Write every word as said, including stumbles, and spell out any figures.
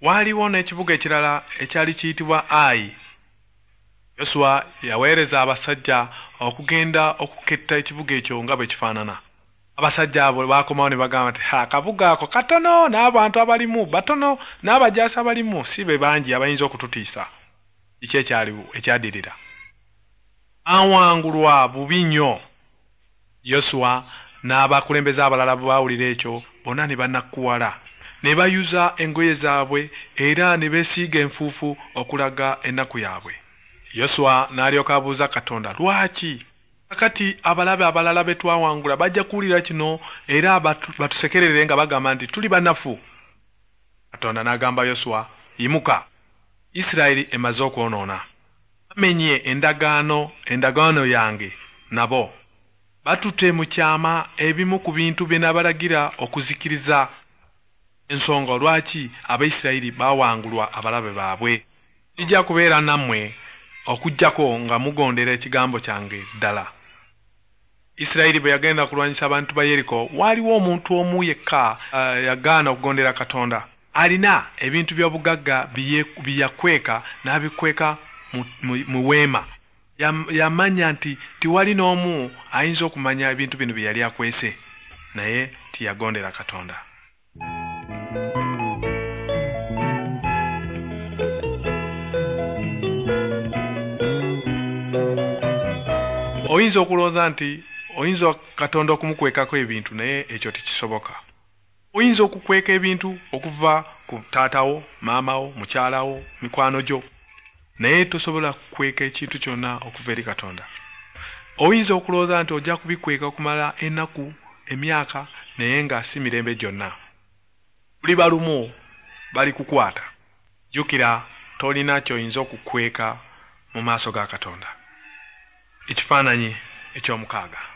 Waaliwo n'ekibuga ekirala ekyali kiyitibwa Ayi. Yosuwa yaweereza abasajja okugenda okuketta ekibuga ekyo nga bwe kifaanana. Abasajja abo baakomawo ne bagamba nti, "Akabuga ako katono, n'abantu abalimu batono, n'abajaasi abalimu si be bangi abayinza okututiisa." Kiki ekyaliwo ekyaddirira? Awangulwa bubi nnyo. Yosuwa n'abakulembeze abalala bwe baawulira ekyo bonna ne banakuwala, ne bayuza engoye zaabwe era ne beesiiga enfuufu okulaga ennaku yaabwe. Yosuwa n'alyoka abuuza Katonda, "Lwaki? Kakati abalabe abalala be twawangula bajja kuwulira kino era batusekerere nga bagamba nti tuli banafu." Katonda n'agamba Yosuwa, "Yimuka, Isirayiri emaze okwonoona. Bamenye endagaano endagaano yange nabo. Batutte mu kyama ebimu ku bintu bye nabalagira okuzikiriza." Ensonga lwaki Abayisirayiri baawangulwa abalabe baabwe. Kijja kubeera nammwe okuggyako nga mugondera ekigambo kyange ddala. Isirayiri bwe yagenda kulwanyisa abantu ba Yeriko, waaliwo omuntu omu yekka uh, yagaana okugondera Katonda. Alina ebintu by'obugagga bye yakweka n'abikweka mu, mu, mu weema. Yamanya nti tiwali n'omu ayinza okumanya ebintu bino bye yali akwese, naye tiyagondera Katonda. Oyinza okulowooza nti oyinza Katonda okumukwekako ebintu, naye ekyo tekisoboka. Oyinza okukweka ebintu okuva ku taatawo, maamawo, mukyalawo, mikwano gyo, naye tosobola kukweka ekintu kyonna okuva eri Katonda. Oyinza okulowooza nti ojja kubikweka okumala ennaku, emyaka, naye nga si mirembe gyonna. Luliba lumu balikukwata. Jjukira, tolina ky'oyinza okukweka mu maaso ga Katonda. Ekifaananyi eky'omukaaga.